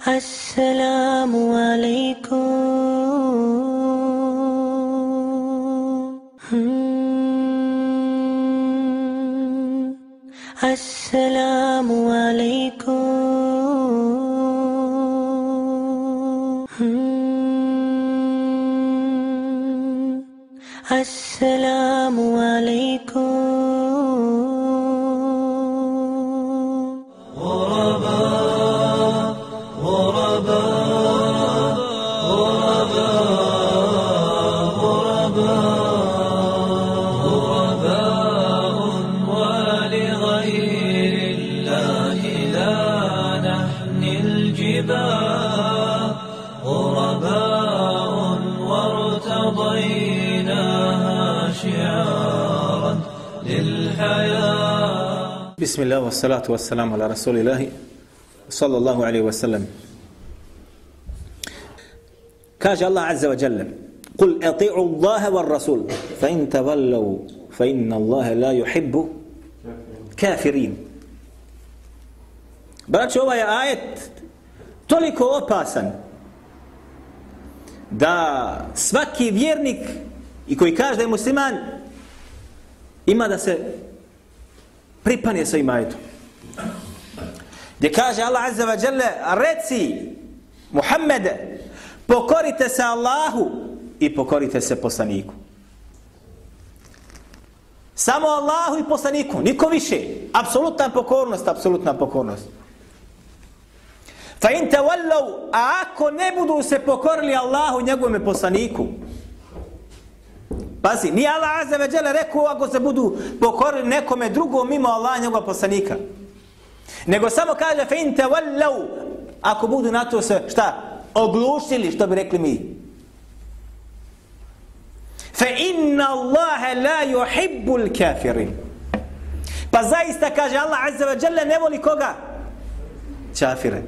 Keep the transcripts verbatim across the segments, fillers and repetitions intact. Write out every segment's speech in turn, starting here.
Assalamu alaikum. Assalamu alaikum. Assalamu alaikum. بسم الله والصلاة والسلام على رسول الله صلى الله عليه وسلم. كاج الله عز وجل قل اطيعوا الله والرسول فإن تولوا فإن الله لا يحب كافرين. Braćo, ovaj ajet toliko opasan da svaki vjernik i koji kaže da je musliman ima da se pripanje sa ovim ajetom. Gdje kaže Allah azza wa jalla, reci Muhammede, pokorite se Allahu i pokorite se poslaniku. Samo Allahu i poslaniku, niko više. Apsolutna pokornost, apsolutna pokornost. Fa in tawallu, a ako ne budu se pokorili Allahu i njegovom poslaniku. Pazi, nije Allah azza wa jalla rekao ako se budu pokorili nekome drugom mimo Allaha i njegovog poslanika. Nego samo kaže fa in tawallu, ako budu na to se šta? Oglušili, što bi rekli mi. Fa inna Allaha la yuhibbul kafirin. Pa zaista kaže Allah azza wa jalla ne voli koga? Kafire.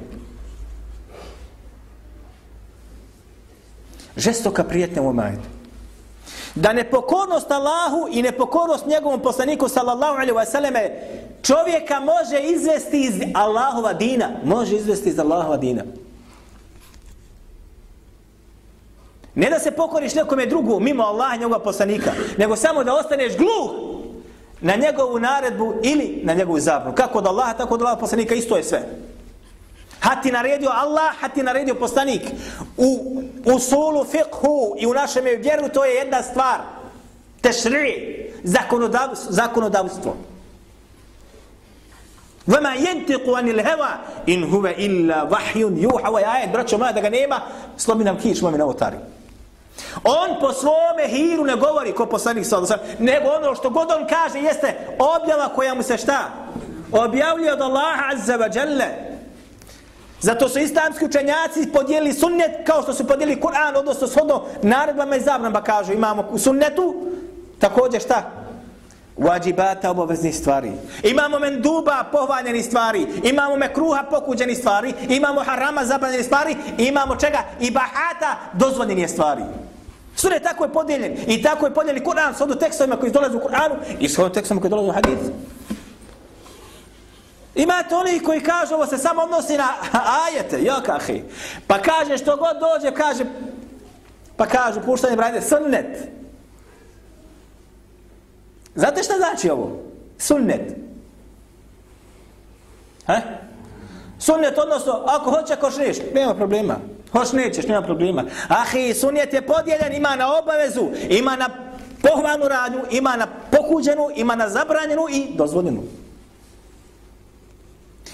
Žestoka prijetnja u ovom ajetu. Da nepokornost Allahu i nepokornost njegovom poslaniku sallallahu alejhi ve selleme čovjeka može izvesti iz Allahova dina, može izvesti iz Allahova dina. Ne da se pokoriš nekome drugu mimo Allaha i njegovog poslanika, nego samo da ostaneš gluh na njegovu naredbu ili na njegovu zabranu. Kako od Allaha, tako od Allahova poslanika, isto je sve. Had ti naredio Allah, had ti naredio poslanik. U usulu fiqhu i u našem vjeru to je jedna stvar. Tešri, zakonodavstvo. zakonodavstvo. Vama yantiqu anil hawa in huwa illa wahyun yuha. Ovaj ajet, braćo moja, da ga nema, slomi nam kič, mami na otari. On po svome hiru ne govori ko poslanik sallallahu alejhi ve sellem, nego ono što god on kaže jeste objava koja mu se šta? Objavljuje od Allaha azza wa jalla. Zato su islamski učenjaci podijelili sunnet kao što su podijelili Kur'an, odnosno shodno naredbama i zabranama. Kažu imamo u sunnetu također šta? Vajibata, obaveznih stvari. Imamo menduba, pohvaljenih stvari. Imamo mekruha, pokuđenih stvari. Imamo harama, zabranjenih stvari. Imamo čega? Ibahata, dozvoljenih stvari. Sunnet tako je podijeljen. I tako je podijeljen Kur'an shodno tekstovima koji dolaze u Kur'anu i shodno tekstovima koji dolaze u hadisu. Imate oni koji kažu ovo se samo odnosi na ajete, jok ahi. Pa kaže što god dođe, kaže, pa kažu puštanje brajde, sunnet. Znate šta znači ovo? Sunnet. He? Sunnet odnosno, ako hoće, ako neš, nema problema. Hoć nećeš, nema problema. Ahi, sunnet je podijeljen, ima na obavezu, ima na pohvalnu radnju, ima na pokuđenu, ima na zabranjenu i dozvoljenu.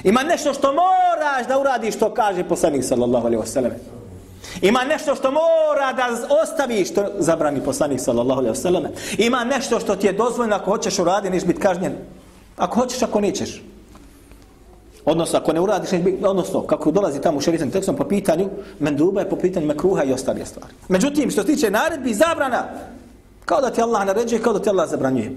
Ima nešto što moraš da uradiš što kaže poslanik sallallahu alejhi ve sellem. Ima nešto što mora da ostaviš što zabrani poslanik sallallahu alejhi ve sellem. Ima nešto što ti je dozvoljeno ako hoćeš uraditi, neš biti kažnjen. Ako hoćeš, ako nećeš. Odnosno, ako ne uradiš, neš biti, odnosno, kako dolazi tamo u šerijskom tekstom po pitanju menduba je po pitanju mekruha i ostale stvari. Međutim, što se tiče naredbi i zabrana, kao da ti Allah naređuje, kao da ti Allah zabranjuje.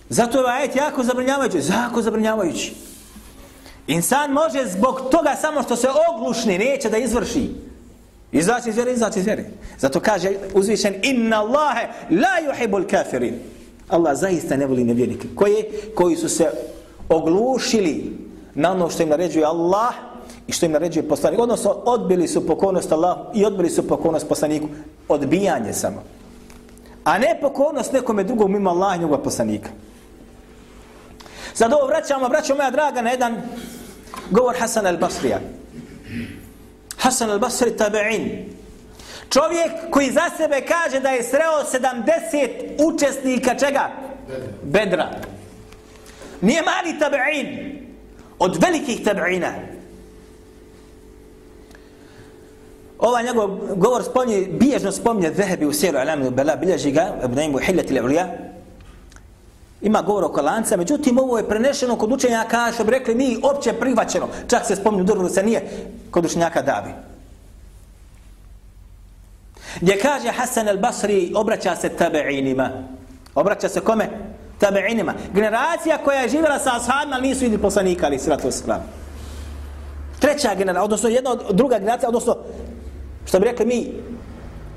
Zato je ovaj ajet jako zabranjavajući, jako zabranjavajući. Insan može zbog toga samo što se oglušni, neće da izvrši. Izaći iz vjere, izaći iz vjere. Zato kaže uzvišen, inna Allahe la yuhibbul kafirin. Allah zaista ne voli nevjernike. Koje? Koji su se oglušili na ono što im naređuje Allah i što im naređuje poslanik. Odnosno, odbili su pokornost Allahu i odbili su pokornost poslaniku. Odbijanje samo. A ne pokornost nekome drugom mimo Allaha i njegova poslanika. Sad ovo vraćamo, vraćamo moja draga na jedan govor Hasan al-Basrija. Hasan al-Basri tabi'in. Čovjek koji za sebe kaže da je sreo sedamdeset učesnika čega? Bedra. Nije mali tabi'in. Od velikih tabi'ina. Ovaj njegov govor spominje, biježno spominje Zehebi u Siru Alamin Bela, bilježi ga, Ibn u Hiljati Levlija. Ima govor oko lanca, međutim ovo je prenešeno kod učenjaka, što bi rekli mi, opće prihvaćeno. Čak se spominju drugog se nije kod učenjaka davi. Gdje kaže Hasan al-Basri, obraća se tabi'inima. Obraća se kome? Tabi'inima. Generacija koja je živjela sa ashabima, ali nisu vidjeli poslanika, ali sratu wasalam. Treća generacija, odnosno jedna od druga generacija, odnosno, što bi rekli mi,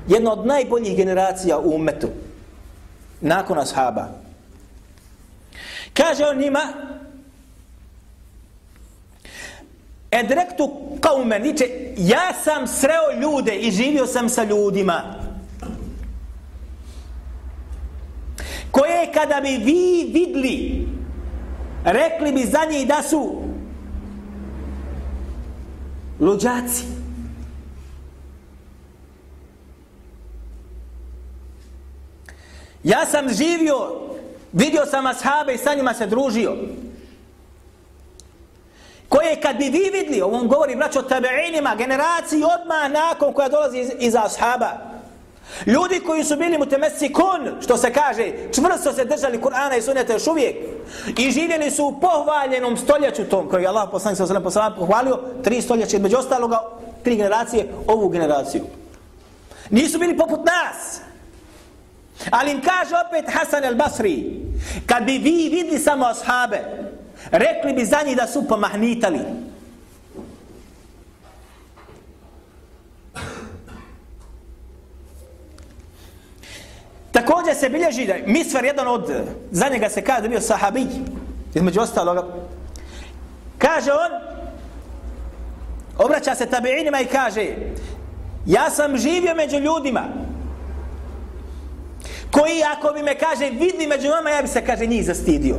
jedna od najboljih generacija u ummetu. Nakon ashaba. Kaže on njima, edrektu kaume, niče, ja sam sreo ljude i živio sam sa ljudima, koje kada bi vi vidli, rekli bi za njih da su luđaci. Ja sam živio, vidio sam ashabe i sa njima se družio, koje kad bi vi vidli, ovom govori braćo tabi'inima, generaciji odmah nakon koja dolazi iz, iz ashaba, ljudi koji su bili mutemessikun, što se kaže, čvrsto se držali Kur'ana i sunneta još uvijek i živjeli su u pohvaljenom stoljeću tom koji je Allah poslanik sallallahu alejhi ve sellem pohvalio, tri stoljeća, među ostaloga tri generacije, ovu generaciju. Nisu bili poput nas. Ali im kaže opet Hasan al-Basri, kad bi vi vidli samo ashabe, rekli bi za njih da su pomahnitali. Također se bilježi da Misvar, jedan od, za njega se kaže da bio sahabij, između ostaloga, kaže on, obraća se tabi'inima i kaže, ja sam živio među ljudima, koji ako bi me, kaže, vidi među vama, ja bi se, kaže, njih zastidio.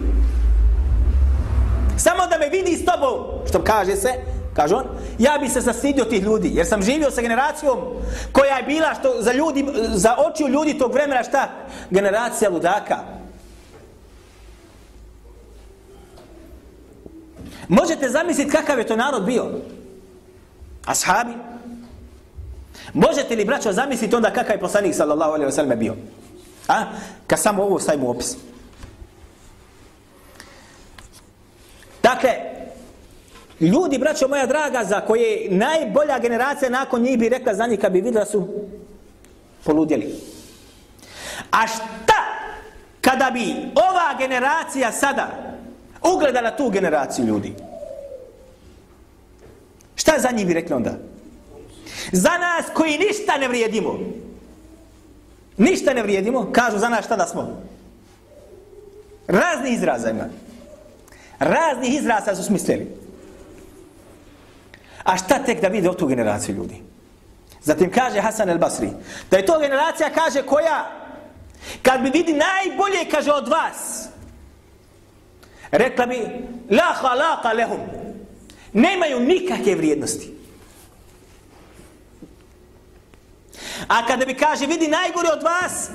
Samo da me vidi s tobom, što kaže se, kaže on, ja bi se zastidio tih ljudi, jer sam živio sa generacijom koja je bila što za ljudi, za očiju ljudi tog vremena šta? Generacija ludaka. Možete zamisliti kakav je to narod bio? Ashabi? Možete li, braćo, zamisliti onda kakav je poslanik sallallahu alejhi ve sellem bio? A? Kad samo ovo stavimo u opis. Dakle, ljudi, braćo moja draga, za koje najbolja generacija nakon njih bi rekla za njih kad bi vidjela su poludjeli. A šta kada bi ova generacija sada ugledala tu generaciju ljudi? Šta za njih bi rekli onda? Za nas koji ništa ne vrijedimo. Ništa ne vrijedimo, kažu za nas šta da smo. Razni izraza ima. Raznih izraza su smislili. A šta tek da vide o tu generaciju ljudi? Zatim kaže Hasan al-Basri, da je to generacija, kaže, koja, kad bi vidi najbolje, kaže, od vas, rekla bi, la halaqa lehum, nemaju nikakve vrijednosti. A kada bi, kaže, vidi najgore od vas,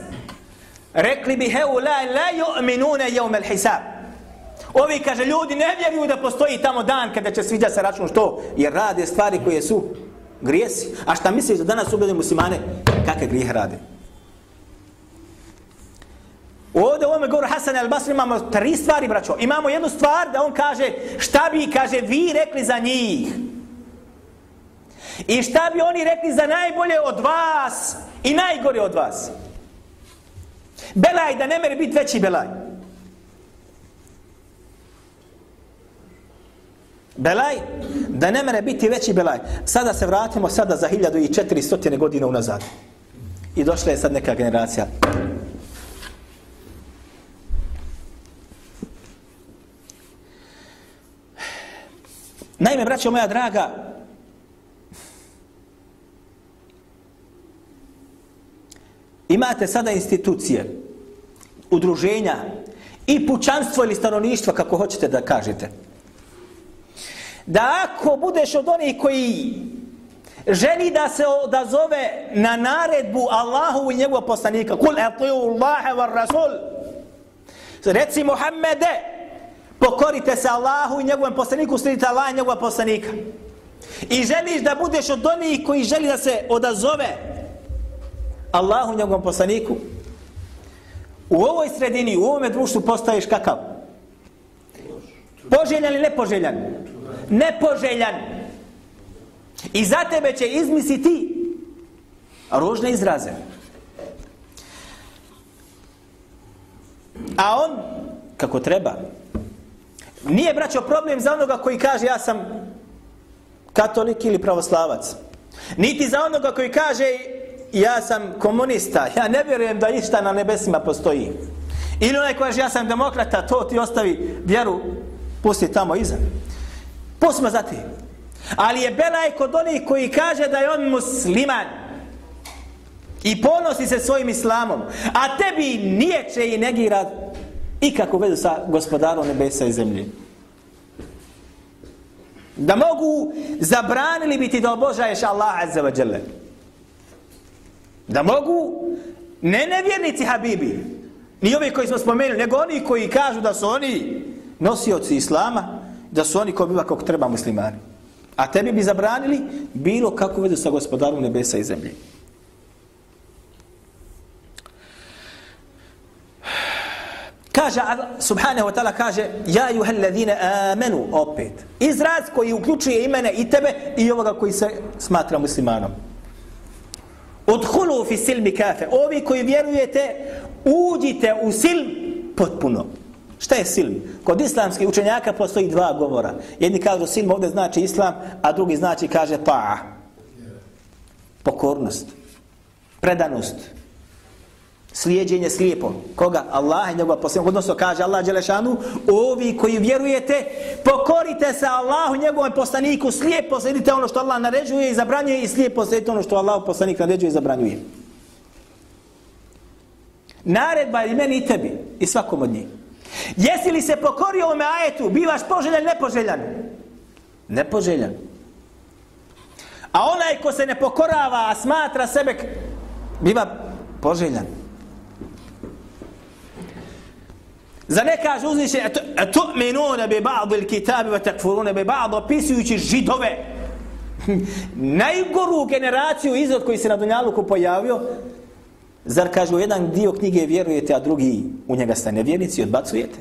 rekli bi, heu la la yu'minune jevme al-hisab. Ovi, kaže, ljudi ne vjeruju da postoji tamo dan kada će sviđa se račun, što? Jer rade stvari koje su grijesi. A šta misliš da danas ubede muslimane kakve grijehe rade? Ovdje u ovome govoru Hasan al-Basri imamo tri stvari, braćo. Imamo jednu stvar da on kaže šta bi, kaže, vi rekli za njih. I šta bi oni rekli za najbolje od vas i najgore od vas. Belaj da ne mere biti veći belaj. Belaj, da ne mere biti veći belaj. Sada se vratimo sada za hiljadu i četiristo godina unazad. I došla je sad neka generacija. Naime, braćo moja draga, imate sada institucije, udruženja i pučanstvo ili stanovništvo, kako hoćete da kažete, da ako budeš od onih koji želi da se odazove na naredbu Allahu i njegovog poslanika, kul atiu Allahe var Rasul, reci Muhammede, pokorite se Allahu i njegovom poslaniku, slijedite Allah i njegovog poslanika. I želiš da budeš od onih koji želi da se odazove Allahu i njegovom poslaniku, u ovoj sredini, u ovome društvu postaješ kakav? Poželjan ili nepoželjan? Nepoželjan. I za tebe će izmisliti ružne izraze. A on, kako treba, nije, braćo, problem za onoga koji kaže ja sam katolik ili pravoslavac. Niti za onoga koji kaže ja sam komunista, ja ne vjerujem da išta na nebesima postoji. Ili onaj koji kaže ja sam demokrata, to ti ostavi vjeru, pusti tamo iza. Pustimo za ti. Ali je belaj kod onih koji kaže da je on musliman i ponosi se svojim islamom, a tebi niječe i negira ikakvu vezu sa gospodarom nebesa i zemlje. Da mogu zabranili biti da obožaješ Allah azza wa jalla. Da mogu, ne nevjernici habibi, ni ovi koji smo spomenuli, nego oni koji kažu da su oni nosioci islama, da su oni ko biva kako treba muslimani. A tebi bi zabranili bilo kakvu vezu sa gospodarom nebesa i zemlje. Kaže, subhanahu wa ta'ala kaže, ja juhel ladhine amenu, opet. Izraz koji uključuje i mene i tebe i ovoga koji se smatra muslimanom. Udhulu fi silmi kafe. Ovi koji vjerujete, uđite u silm potpuno. Šta je silm? Kod islamskih učenjaka postoji dva govora. Jedni kažu silm ovdje znači islam, a drugi znači kaže ta'a. Pokornost. Predanost. Slijedjenje slijepom. Koga? Allah i njegova poslanika. Odnosno kaže Allah dželešanu, ovi koji vjerujete, pokorite se Allahu i njegovom poslaniku, slijepo slijedite ono što Allah naređuje i zabranjuje i slijepo slijedite ono što Allah poslanik naređuje i zabranjuje. Naredba je meni i tebi i svakom od njih. Jesi li se pokorio ovome ajetu, bivaš poželjan, nepoželjan? Nepoželjan. A onaj ko se ne pokorava, a smatra sebe, biva poželjan. Za ne kaže uzviše, tu'minuna bi ba'd al-kitabi wa takfuruna bi ba'd, opisujući židove, najgoru generaciju izrod koji se na Dunjaluku pojavio. Zar kaže u jedan dio knjige vjerujete, a drugi u njega ste nevjernici i odbacujete?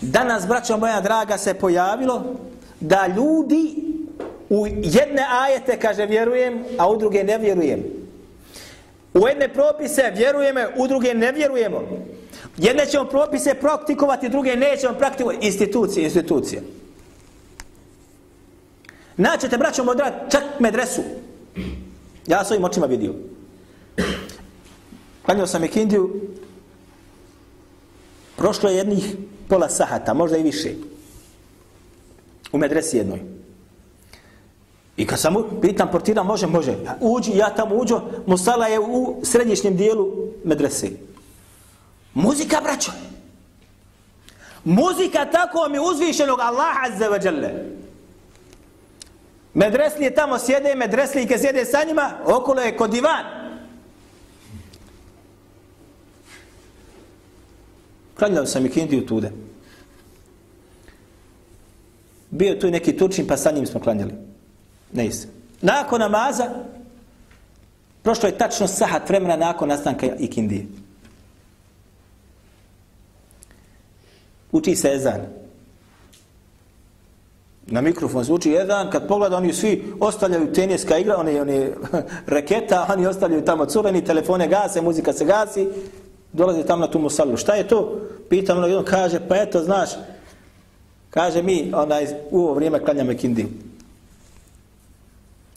Danas, braćo moja draga, se pojavilo da ljudi u jedne ajete kaže vjerujem, a u druge ne vjerujem. U jedne propise vjerujemo, u druge ne vjerujemo. Jedne ćemo propise praktikovati, druge nećemo praktikovati. Institucije, institucije. Naćete, braćo moja draga, čak medresu. Ja svojim očima vidio. Klanjao sam ikindiju, prošlo je jednih pola sahata, možda i više, u medresi jednoj. I kad sam pitam portira, može, može. Uđi, ja tamo uđo, musala je u središnjem dijelu medrese. Muzika, braćo. Muzika tako mi uzvišenog Allaha azza wa jalla. Medreslije tamo sjede, medreslijke sjede sa njima, okolo je kod divan. Klanjao sam ikindiju tude. Bio tu neki Turčin, pa sa njim smo klanjali. Ne isam. Nakon namaza, prošlo je tačno sahat vremena nakon nastanka ikindije. Uči se ezan. Na mikrofon zvuči ezan, kad pogleda oni svi ostavljaju teniska igra, oni, oni reketa, oni ostavljaju tamo cureni, telefone gase, muzika se gasi, dolazi tamo na tu musallu. Šta je to? Pitam ono, on kaže, pa eto, znaš, kaže mi, onaj, u ovo vrijeme klanjamo ikindiju.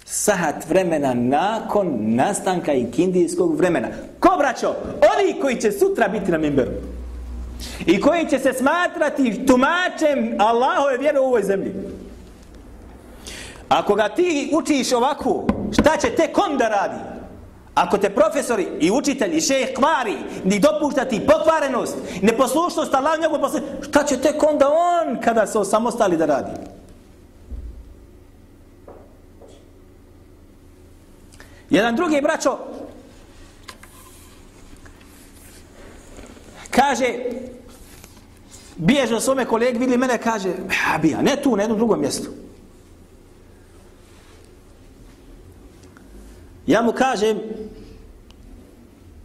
Sahat vremena nakon nastanka ikindijskog vremena. Ko, braćo? Oni koji će sutra biti na mimberu. I koji će se smatrati tumačem Allahove vjere u ovoj zemlji. Ako ga ti učiš ovako, šta će tek on da radi? Ako te profesori i učitelji i šejh kvari, ni dopušta ti pokvarenost, neposlušnost Allahu njegovom poslaniku, šta će tek onda on kada se osamostali da radi? Jedan drugi braćo kaže, bježe od svome kolegi, vidi mene, kaže, bija, ne tu, na jednom drugom mjestu. Ja mu kažem,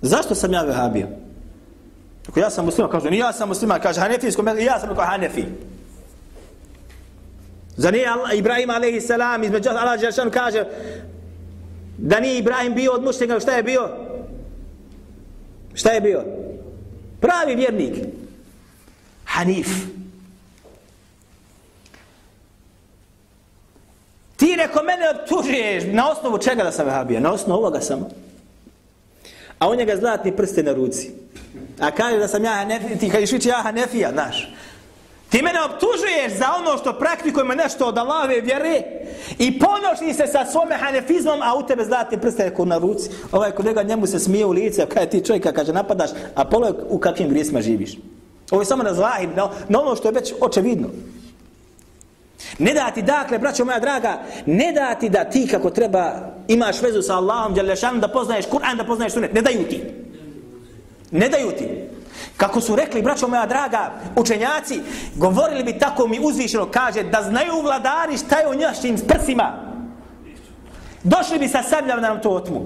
zašto sam ja vehabija? Ako ja sam musliman, kaže, ni ja sam musliman, kaže, hanefijsko, ja sam kao hanefi. Za nije Allah, Ibrahim alejhi selam, između Allah Đelešanu kaže, da nije Ibrahim bio od mušnika, šta je bio? Šta je bio? Pravi vjernik. Hanif. Ti neko mene optužuješ na osnovu čega da sam vehabija? Na osnovu ovoga samo. A on njega zlatni prste na ruci. A kaže da sam ja hanefija, ti kažeš vići ja hanefija, znaš. Ti mene optužuješ za ono što praktikujemo nešto od Allahove vjere i ponoši se sa svome hanefizmom, a u tebe zlatni prste neko na ruci. Ovaj kolega njemu se smije u lice, kada ti čovjeka kaže napadaš, a polo u kakvim grijesima živiš. Ovo je samo na zlahir, na, na ono što je već očevidno. Ne da ti, dakle, braćo moja draga, ne da ti da ti kako treba imaš vezu sa Allahom, Đelešanom, da poznaješ Kur'an, da poznaješ sunet. Ne daju ti. Ne daju ti. Kako su rekli, braćo moja draga, učenjaci, govorili bi tako mi uzvišeno, kaže, da znaju vladari šta je u njašim prsima. Došli bi sa sabljama da nam to otmu.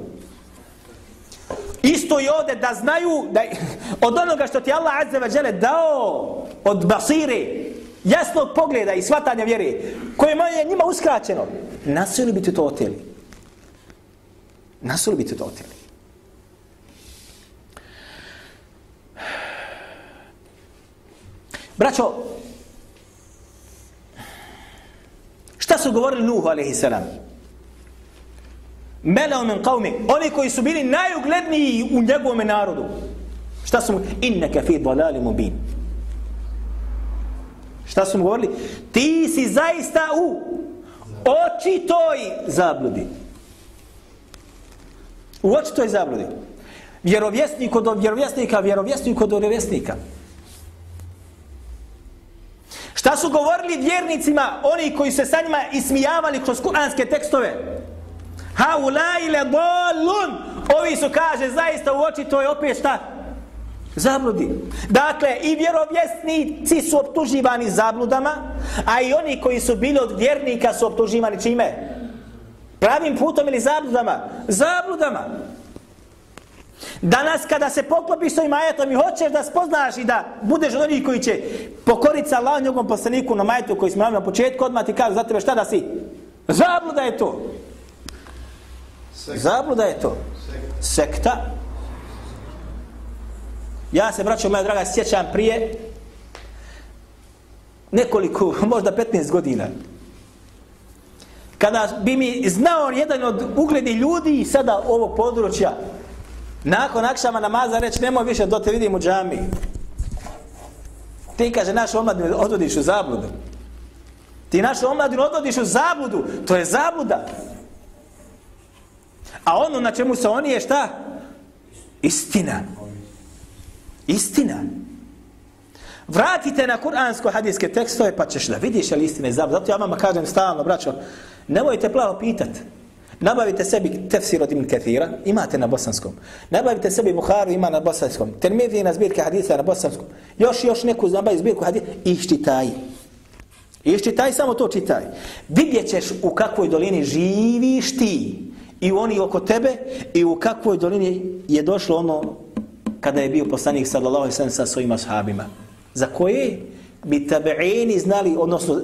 Isto i ovdje da znaju da od onoga što ti Allah azza wa dželle dao od basire, jasnog pogleda i shvatanja vjere, koje je njima uskraćeno, nasili bi ti to oteli. Nasili bi ti to oteli. Braćo, šta su govorili Nuhu alejhi selam? Melao min qavmi, oni koji su bili najugledniji u njegovom narodu. Šta su mu? Innaka fi dalali mubin. Šta su mu govorili? Ti si zaista u očitoj zabludi. U očitoj zabludi. Vjerovjesnik od vjerovjesnika, vjerovjesnik od vjerovjesnika. Šta su govorili vjernicima, oni koji se sa njima ismijavali kroz kuranske tekstove? Ha ulai le dolun. Ovi su, kaže, zaista u oči to je opet šta? Zabludi. Dakle, i vjerovjesnici su optuživani zabludama, a i oni koji su bili od vjernika su optuživani čime? Pravim putom ili zabludama? Zabludama. Danas kada se poklopiš s ovim ajetom i hoćeš da spoznaš i da budeš od onih koji će pokoriti sa Allahom njegovom poslaniku na ajetu koji smo na početku, odmah ti kažu za tebe šta da si? Zabluda je to. Zabluda je to. Sekta. Ja se, braćo moja draga, sjećam prije nekoliko, možda petnaest godina. Kada bi mi znao jedan od uglednih ljudi sada ovog područja, nakon akšama namaza reći, nemoj više da te vidim u džami. Ti, kaže, našu omladinu odvodiš u zabludu. Ti našu omladinu odvodiš u zabludu. To je zabluda. A ono na čemu se oni je šta? Istina. Istina. Vratite na kuransko-hadijske tekstove pa ćeš da vidiš ali istina je zabluda. Zato ja vama kažem stalno, braćo, nemojte plavo pitat. Nabavite sebi tefsir od Ibn Kathira, imate na bosanskom. Nabavite sebi Buharu, ima na bosanskom. Tirmidhi na zbirke hadisa na bosanskom. Još još neku nabavi zbirku hadisa i iščitaj. Iščitaj, samo to čitaj. Vidjet ćeš u kakvoj dolini živiš ti i oni oko tebe i u kakvoj dolini je došlo ono kada je bio poslanik sallallahu alejhi ve sellem sa svojim ashabima. Za koje bi tabeini znali, odnosno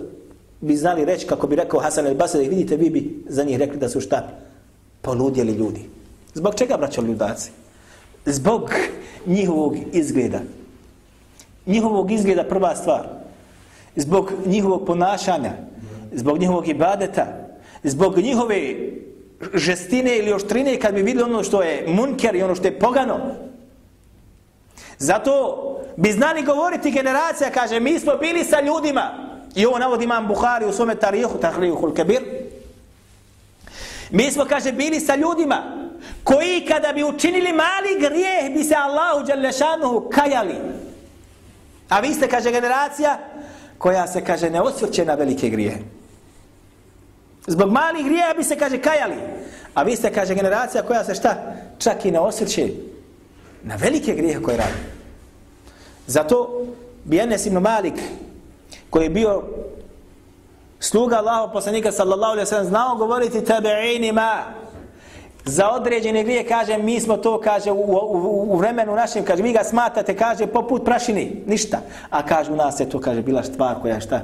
bi znali reći, kako bi rekao Hasan el-Basri, vidite, vi bi za njih rekli da su šta? Poludjeli ljudi. Zbog čega, braćo ljudaci? Zbog njihovog izgleda. Njihovog izgleda prva stvar. Zbog njihovog ponašanja. Zbog njihovog ibadeta. Zbog njihove žestine ili oštrine kad bi vidjeli ono što je munker i ono što je pogano. Zato bi znali govoriti generacija, kaže, mi smo bili sa ljudima. I ovo navodi imam Buhari u svome tarihu, Tahrihul Kabir. Mi smo, kaže, bili sa ljudima koji kada bi učinili mali grijeh bi se Allahu dželle šanuhu kajali. A vi ste, kaže, generacija koja se, kaže, ne osvrće na velike grijehe. Zbog malih grijeha bi se, kaže, kajali. A vi ste, kaže, generacija koja se šta? Čak i ne osvrće na velike grijehe koje radi. Zato bi Enes ibn Malik, koji je bio sluga Allahov poslanika sallallahu alejhi ve sellem, znao govoriti tabi'inima za određene grije, kaže, mi smo to, kaže, u, u, u vremenu našem, kaže, vi ga smatrate, kaže, poput prašini, ništa. A kaže, u nas je to, kaže, bila stvar koja je šta?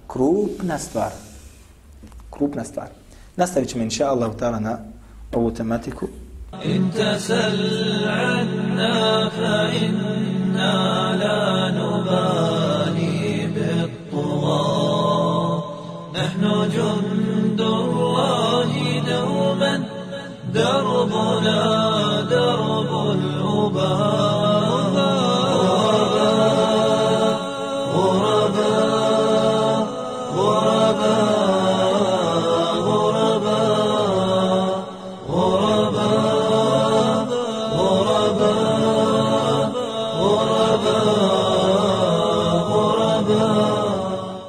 Krupna stvar. Krupna stvar. Nastavit ćemo, inša Allahu ta'ala, na ovu tematiku. In tasal anna fa inna la nubali bit-tugha nahnu jundullahi dawman دربنا درب الأباء غرباء غرباء